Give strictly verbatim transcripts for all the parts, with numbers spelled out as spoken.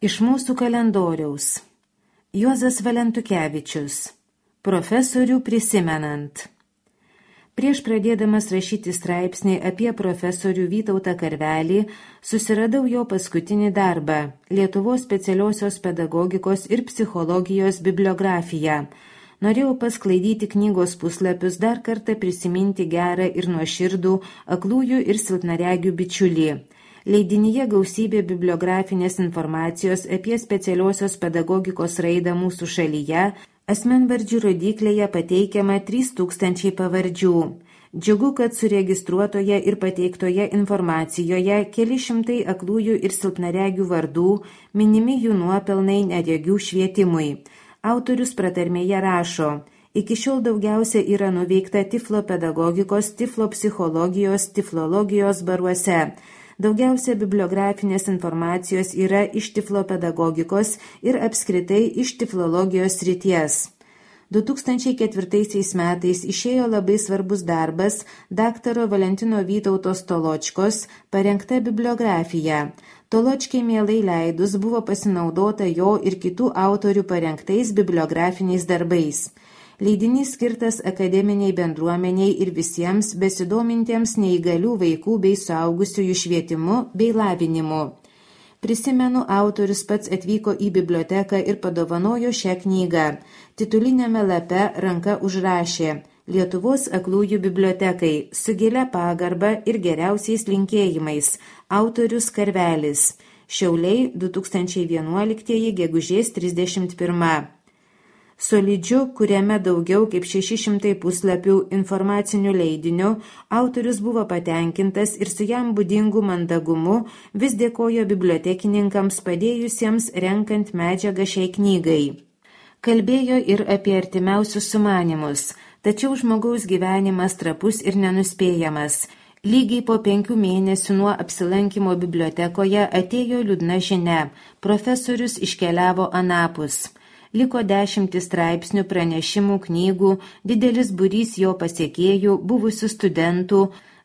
Iš mūsų kalendoriaus. Juozas Valentukevičius. Profesorių prisimenant. Prieš pradėdamas rašyti straipsnį apie profesorių Vytautą Karvelį, susiradau jo paskutinį darbą – Lietuvos specialiosios pedagogikos ir psichologijos bibliografiją. Norėjau pasklaidyti knygos puslapius, dar kartą prisiminti gerą ir nuoširdų aklųjų ir silpnaregių bičiulį. Leidinyje gausybė bibliografinės informacijos apie specialiosios pedagogikos raidą mūsų šalyje, asmenvardžių rodyklėje pateikiama trys tūkstančiai pavardžių. Džiugu, kad suregistruotoje ir pateiktoje informacijoje keli šimtai aklųjų ir silpnaregių vardų, minimi jų nuopelnai neregių švietimui. Autorius pratarmėje rašo: iki šiol daugiausia yra nuveikta tiflo pedagogikos, tiflo psichologijos, tiflologijos baruose. Daugiausia bibliografinės informacijos yra iš tiflo pedagogikos ir apskritai iš tiflologijos srities. du tūkstančiai ketvirtaisiais metais išėjo labai svarbus darbas daktaro Valentino Vytautos Toločkos parengta bibliografija. Toločkai mielai leidus buvo pasinaudota jo ir kitų autorių parengtais bibliografiniais darbais. Leidinys skirtas akademiniai bendruomeniai ir visiems besidomintiems neįgalių vaikų bei suaugusiųjų švietimu bei lavinimu. Prisimenu, autorius pats atvyko į biblioteką ir padovanojo šią knygą. Tituliniame lape ranka užrašė: Lietuvos aklųjų bibliotekai, su gilia pagarba ir geriausiais linkėjimais, autorius Karvelis. Šiauliai, du tūkstančiai vienuoliktieji, gegužės trisdešimt pirma. Solidžiu, kuriame daugiau kaip šeši šimtai puslapių informacinių leidinių, autorius buvo patenkintas ir su jam būdingu mandagumu vis dėkojo bibliotekininkams padėjusiems renkant medžiagą šiai knygai. Kalbėjo ir apie artimiausius sumanimus, tačiau žmogaus gyvenimas trapus ir nenuspėjamas. Lygiai po penkių mėnesių nuo apsilankimo bibliotekoje atėjo liūdna žinia: profesorius iškeliavo anapus. Liko dešimtis straipsnių, pranešimų, knygų, didelis būrys jo pasiekėjų, buvusių studentų,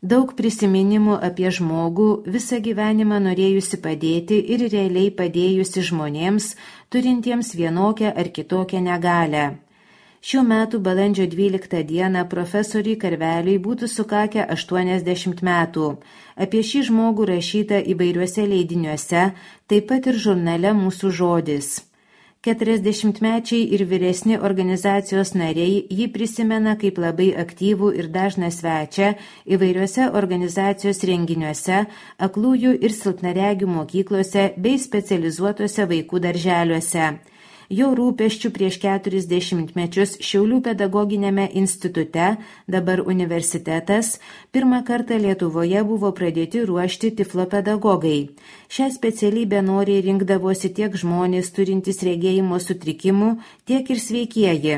daug prisiminimų apie žmogų, visą gyvenimą norėjusi padėti ir realiai padėjusi žmonėms, turintiems vienokią ar kitokią negalią. Šių metų balandžio dvyliktą dieną profesoriui Karveliui būtų sukakę aštuoniasdešimt metų. Apie šį žmogų rašyta įvairiuose leidiniuose, taip pat ir žurnale Mūsų žodis. keturiasdešimtmečiai ir vyresni organizacijos nariai jį prisimena kaip labai aktyvų ir dažną svečią įvairiuose organizacijos renginiuose, aklųjų ir silpnaregių mokyklose bei specializuotose vaikų darželiuose. Jo rūpesčių prieš keturis dešimtmečius Šiaulių pedagoginėme institute, dabar universitetas, pirmą kartą Lietuvoje buvo pradėti ruošti tiflo pedagogai. Šią specialybę noriai rinkdavosi tiek žmonės turintys regėjimo sutrikimų, tiek ir sveikieji.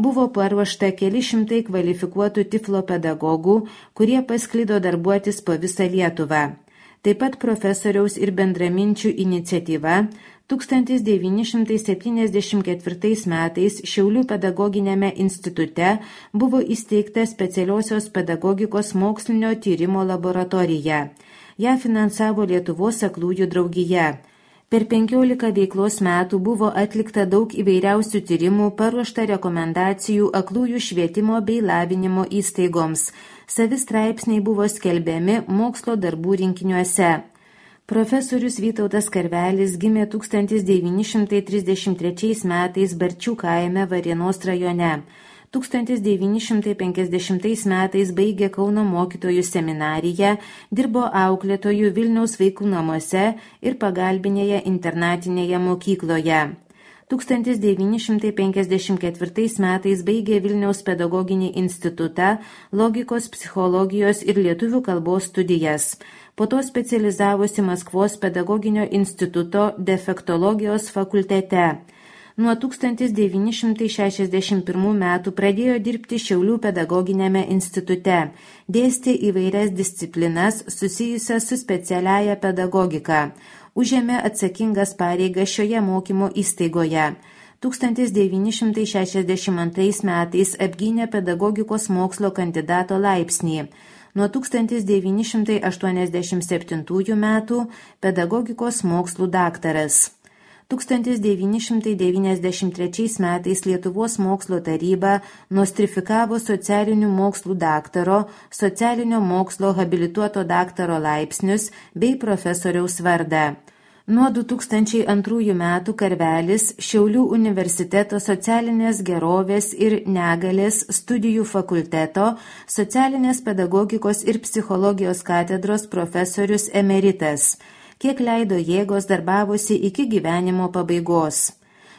Buvo paruošta keli šimtai kvalifikuotų tiflo pedagogų, kurie pasklido darbuotis po visą Lietuvą. Taip pat profesoriaus ir bendraminčių iniciatyva tūkstantis devyni šimtai septyniasdešimt ketvirtais metais Šiaulių pedagoginėme institute buvo įsteigta specialiosios pedagogikos mokslinio tyrimo laboratorija. Ją finansavo Lietuvos aklųjų draugija. Per penkiolika veiklos metų buvo atlikta daug įvairiausių tyrimų, paruošta rekomendacijų aklųjų švietimo bei lavinimo įstaigoms. Savi straipsniai buvo skelbiami mokslo darbų rinkiniuose. Profesorius Vytautas Karvelis gimė tūkstantis devyni šimtai trisdešimt trečiais metais Barčių kaime Varėnos rajone. tūkstantis devyni šimtai penkiasdešimtais metais baigė Kauno mokytojų seminariją, dirbo auklėtojų Vilniaus vaikų namuose ir pagalbinėje internatinėje mokykloje. tūkstantis devyni šimtai penkiasdešimt ketvirtais metais baigė Vilniaus pedagoginį institutą, logikos, psichologijos ir lietuvių kalbos studijas. Po to specializavosi Maskvos pedagoginio instituto defektologijos fakultete. Nuo tūkstantis devyni šimtai šešiasdešimt pirmų metų pradėjo dirbti Šiaulių pedagoginėme institute, dėstė įvairias disciplinas susijusias su specialiaja pedagogika. Užėmė atsakingas pareigas šioje mokymo įstaigoje. tūkstantis devyni šimtai šešiasdešimt antrais metais apgynė pedagogikos mokslo kandidato laipsnį. Nuo tūkstantis devyni šimtai aštuoniasdešimt septintųjų metų pedagogikos mokslų daktaras. tūkstantis devyni šimtai devyniasdešimt trečiais metais Lietuvos mokslo taryba nostrifikavo socialinių mokslų daktaro, socialinio mokslo habilituoto daktaro laipsnius bei profesoriaus vardą. Nuo du tūkstančiai antrųjų metų Karvelis Šiaulių universiteto socialinės gerovės ir negalės studijų fakulteto socialinės pedagogikos ir psichologijos katedros profesorius emeritas, kiek leido jėgos darbavosi iki gyvenimo pabaigos.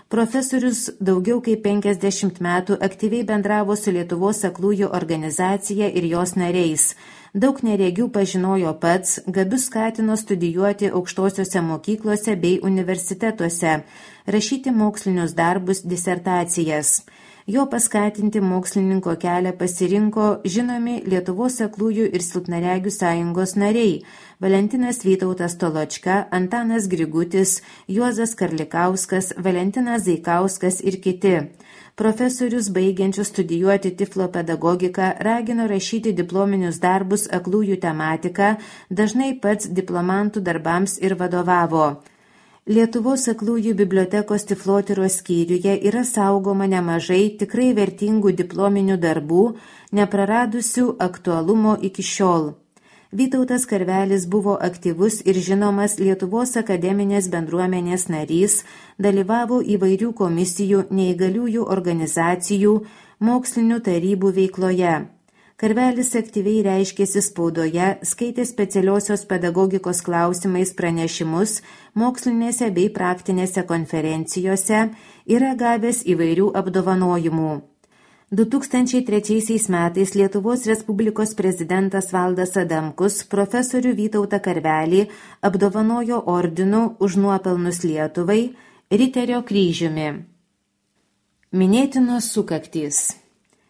Profesorius daugiau kaip penkiasdešimt metų aktyviai bendravo su Lietuvos aklųjų organizacija ir jos nariais. Daug neregių pažinojo pats, gabius skatino studijuoti aukštosiuose mokyklose bei universitetuose, rašyti mokslinius darbus, disertacijas. Jo paskatinti mokslininko kelią pasirinko žinomi Lietuvos aklųjų ir silpnaregių sąjungos nariai Valentinas Vytautas Toločka, Antanas Grigutis, Juozas Karlikauskas, Valentinas Zaikauskas ir kiti. Profesorius baigiančius studijuoti tiflo pedagogiką ragino rašyti diplominius darbus aklųjų tematika, dažnai pats diplomantų darbams ir vadovavo. Lietuvos aklųjų bibliotekos tiflotyros skyriuje yra saugoma nemažai tikrai vertingų diplominių darbų, nepraradusių aktualumo iki šiol. Vytautas Karvelis buvo aktyvus ir žinomas Lietuvos akademinės bendruomenės narys, dalyvavo įvairių komisijų, neįgaliųjų organizacijų, mokslinių tarybų veikloje. Karvelis aktyviai reiškėsi spaudoje, skaitė specialiosios pedagogikos klausimais pranešimus, mokslinėse bei praktinėse konferencijose, yra gavęs įvairių apdovanojimų. du tūkstančiai trečiaisiais metais Lietuvos Respublikos prezidentas Valdas Adamkus profesorių Vytautą Karvelį apdovanojo ordinu už nuopelnus Lietuvai, Riterio kryžiumi. Minėtinos sukaktys.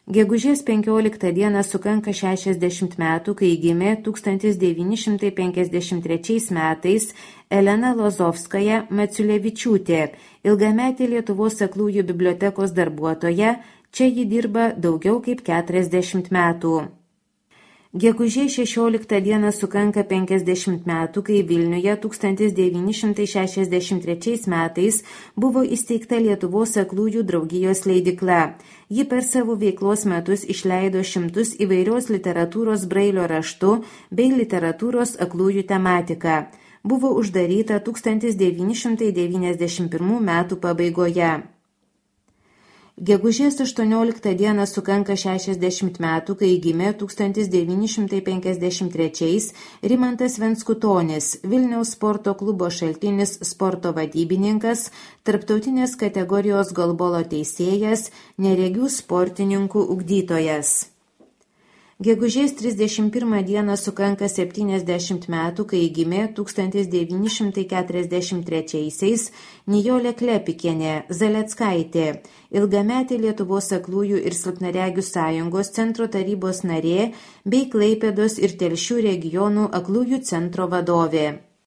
Gegužės penkioliktą dieną sukanka šešiasdešimt metų, kai gimė tūkstantis devyni šimtai penkiasdešimt trečiais metais Elena Lozovskaja Maciulevičiūtė, ilgametė Lietuvos aklųjų bibliotekos darbuotoja. Čia ji dirba daugiau kaip keturiasdešimt metų. Gegužės šešioliktą dieną sukanka penkiasdešimt metų, kai Vilniuje tūkstantis devyni šimtai šešiasdešimt trečiais metais buvo įsteigta Lietuvos aklųjų draugijos leidykla. Ji per savo veiklos metus išleido šimtus įvairios literatūros brailio raštu bei literatūros aklųjų tematika. Buvo uždaryta tūkstantis devyni šimtai devyniasdešimt pirmų metų pabaigoje. Gegužės aštuonioliktą dieną sukanka šešiasdešimt metų, kai gimė tūkstantis devyni šimtai penkiasdešimt trečiais Rimantas Venskutonis, Vilniaus sporto klubo Šaltinis sporto vadybininkas, tarptautinės kategorijos golbolo teisėjas, neregių sportininkų ugdytojas. Gegužės trisdešimt pirmą dieną sukanka septyniasdešimt metų, kai gimė tūkstantis devyni šimtai keturiasdešimt trečiaisiais Nijolė Klepikienė Zaleckaitė, ilgametė Lietuvos aklųjų ir silpnaregių sąjungos centro tarybos narė bei Klaipėdos ir Telšių regionų aklųjų centro vadovė.